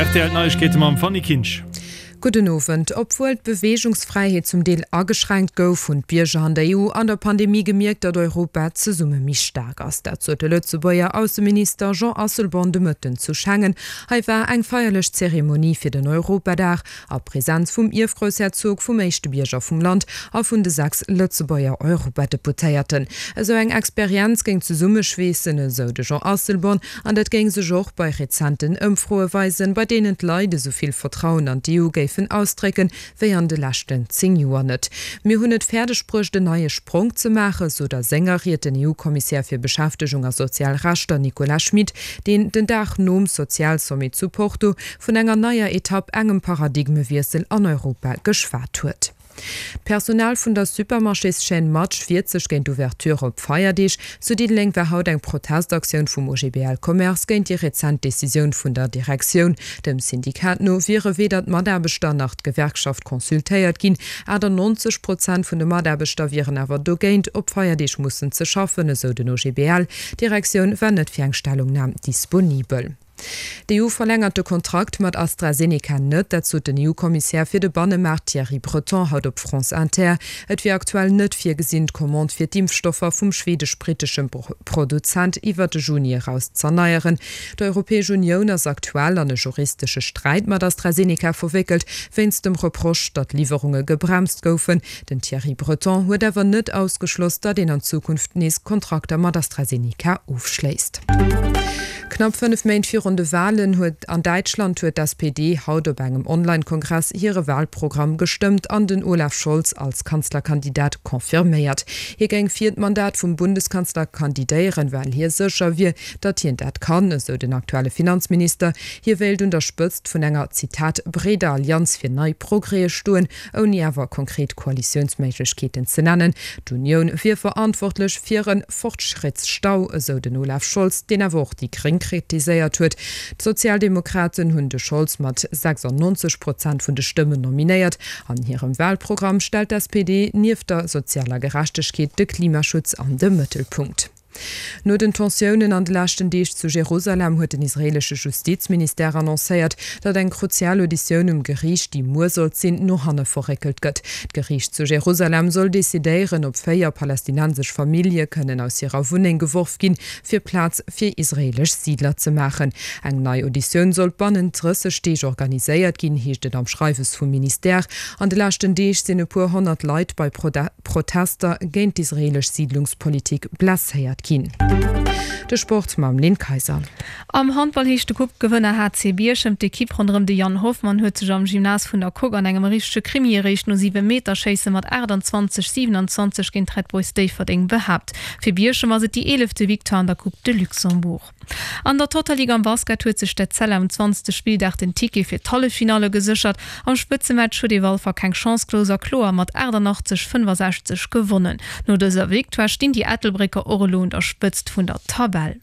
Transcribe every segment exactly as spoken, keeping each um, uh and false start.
R T L Neiegkeete mam Fanny Kinsch. Gudden Owend. Obwuel d'Beweegungsfräiheet zum Deel ageschränkt gouf, hunn d'Bierger an der E U an der Pandemie gemierkt, datt Europa zesumme méi staark ass. Dat sot de Lëtzebuerger Ausseminister Jean Asselborn de Mëtten zu Schengen. Hei war eng feierlech Zeremonie fir den Europadag a Presenz vum Ierfgroussherzog, vum éischte Bierger vum Land a vun de sechs Lëtzebuerger Europadeputéierten. Esou eng Experienz géing zesummeschweessen, esou de Jean Asselborn, an dat géing sech och bei rezenten Ëmfroe weisen, bei deenen d'Leit esou vill Vertrauen an d'E U géifen ausdrécken, wéi an de leschten zéng Joer net. Mir hunn et fäerdeg bruecht en neie Spronk ze maachen, sot a senger Ried den E U-Kommissär fir Beschäftegung a sozial Rechter Nicolas Schmit, deen den Dag nom Sozialsommet zu Porto vun enger neier Etapp, engem Paradigmewiessel an Europa geschwat huet. D'Personal vun der Supermarchéschaîne Match wiert sech géint d'Ouverture op Feierdeeg. Zu Diddeleng war haut eng Protestaktioun vum O G B L Commerce géint déi rezent Decisioun vun der Direktioun. Dem Syndikat no wiere weder d'Mataarbechter nach d'Gewerkschaft consultéiert ginn. achtannonzeg Prozent vun de Mataarbechter wieren awer dogéint, op Feierdeeg mussen ze schaffen, esou den O G B L. D'Direktioun war net fir eng Stellungnam disponibel. D'E U verlängert de Kontrakt mat AstraZeneca net, dat sot den E U-Kommissär fir de Bannemaart Thierry Breton haut op France Inter. Et wier aktuell net virgesinn, d'Commande fir d'Impfstoffer vum schwedesch-brittesche Produzent iwwer de Juni eraus z'erneieren. D'Europäesch Unioun ass aktuell an e juristesche Sträit mat AstraZeneca verwéckelt, wéinst dem Reproche, datt Liwwerunge gebremst goufen. Den Thierry Breton huet awer net ausgeschloss, datt een an Zukunft nees Kontrakter mat AstraZeneca ofschléisst. Knapp fënnef Méint virun de Walen huet an Däitschland huet d'S P D haut op engem Online-Kongress hire Walprogramm gestëmmt an den Olaf Scholz als Kanzlerkandidat confirméiert. Hie géing fir d'Mandat vum Bundeskanzler kandidéieren, well hie sécher wier, datt hien dat kann, esou den aktuelle Finanzminister. Hie wéilt un der Spëtzt vun enger, Zitat, breeder Allianz fir nei Progrèse stoen, ouni awer konkret Koalitiounsméiglechkeeten ze nennen. D'Unioun wier verantwortlech fir e Fortschrittsstau, esou den Olaf Scholz, deen awer och déi Gréng kritiséiert huet. D'Sozialdemokraten hunn de Scholz mat sechsannonzeg Prozent vun de Stëmmen nominéiert. An hirem Walprogramm stellt d'S P D nieft der sozialer Gerechtegkeet de Klimaschutz an de Mëttelpunkt. No den Tensiounen an de leschten Deeg zu Jerusalem huet den israeelesche Justizministère annoncéiert, datt eng kruzial Auditioun um Geriicht, déi muer sollt sinn, no hanne verréckelt gëtt. D'Geriicht zu Jerusalem soll decidéieren, ob véier palästinensesch Famillje kënnen aus hirer Wunneng geworf ginn, fir Plaz fir israeelesch Siidler ze maachen. Eng nei Auditioun soll bannent drësseg Deeg organiséiert ginn, heescht et am Schreiwes vum Ministère. An de leschten Deeg sinn e puer honnert Leit bei Protester géint d'israeelesch Siidlungspolitik blesséiert ginn. De Sport mam Lynn Kaiser. Am Handball heescht de Coupe-Gewënner H C Bierchem. D'Ekipp ronderëm de Yann Hoffmann huet sech am Gymnase vun der Coque an engem richtege Krimi eréischt no Siwemeterschéisse mat aachtanzwanzeg, siewenanzwanzeg géint d'Red Boys Déifferdeng behaapt. Fir Bierchem ass et déi eelefte Victoire an der Coupe de Luxembourg. An der Totalligue am Basket huet sech d'Etzella um zwanzegste Spilldag den Ticket fir d'Halleffinalle geséchert. Am Spëtzematch huet ee Walfer keng Chance gelooss a kloer mat aachtannachtzeg, fënnefasechzeg gewonnen. No dëser Victoire stinn déi Ettelbrécker och elo un der Spëtzt vun der Tabell.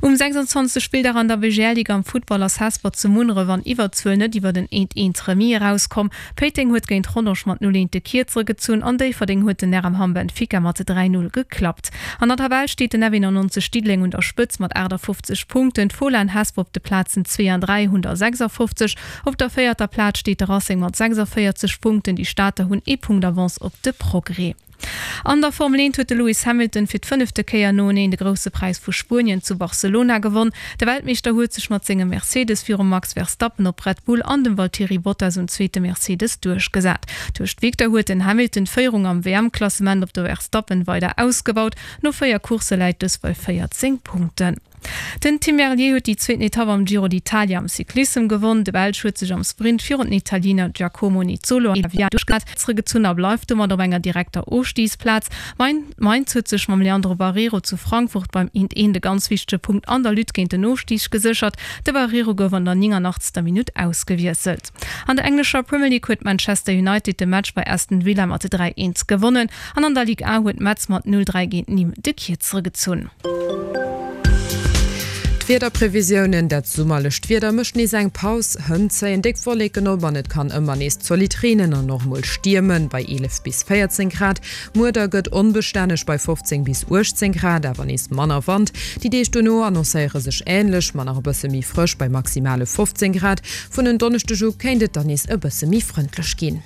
Um sechsanzwanzegste Spilldag an der B G L-Liga am Futtball ass Hesper zu Munneref an Iwwerzuel net iwwer en eent eent Remis erauskomm. Péiteng huet géint Rodange mat null eent de Kierzere gezunn an Déifferdeng huet den R M Hamm Benfica mat dräi null geklappt. An der Tabell steet den F eenannonzeg Diddeleng un der Spëtzt mat aachtafofzeg Punkten, d'Fola an Hesper op de Plazen zwee an dräi hunn der sechsafofzeg. Op der véierter Plaz steet de Racing mat sechsavéierzeg Punkten, déi Stater hunn ee Punkt Avance op de Progrès. An der Formel eent huet de Lewis Hamilton fir d'fënnefte Kéier noeneen de Grousse Präis vu Spuenien zu Barcelona gewonn. De Weltmeeschter huet sech mat sengem Mercedes virum Max Verstappen op Red Bull an dem Valtteri Bottas um zweete Mercedes duerchgesat. Duerch d'Victoire huet den Hamilton d'Féierung am W M-Klassement op de Verstappen weider ausgebaut. No véier Coursse läit dës bei véierzéng Punkten. Den Tim Merlier huet déi zweeten Etapp am Giro d'Italia am Cyclissem gewonn. De Belsch huet sech am Sprint virun den Italiener Giacomo Nizzolo zeréckgezunn a bleift domat op enger direkter Ofstigsplaz. Mainz huet sech mam Leandro Barreiro zu Frankfurt beim eent eent e ganz wichtege Punkt an der Lutte géint den Ofstig geséchert. De Barreiro gouf an der nénganachtzeger Minutt ausgewiesselt. An der englescher Premier League huet Manchester United de Match bei Aston Villa mat dräi eent gewonnen an an der Ligue un huet Metz mat null dräi géint Nîmes de Kierzere gezunn. D'Wiederprevisiounen, Dat summerlecht Wieder mécht nees eng Paus, hënt zéien déck Wolleken op an et kann ëmmer nees zolidd reenen an och mol stiermen, bei eelef bis véierzéng Grad. Muer da gëtt onbestänneg bei fofzéng bis uechtzéng Grad, awer nees manner Wand. Déi Deeg dono annoncéiere sech änlech, ma nach e bësse méi frësch bei maximale fofzéng Grad. Vun en Donneschdeg u kéint et dann nees e bësse méi frëndlech ginn.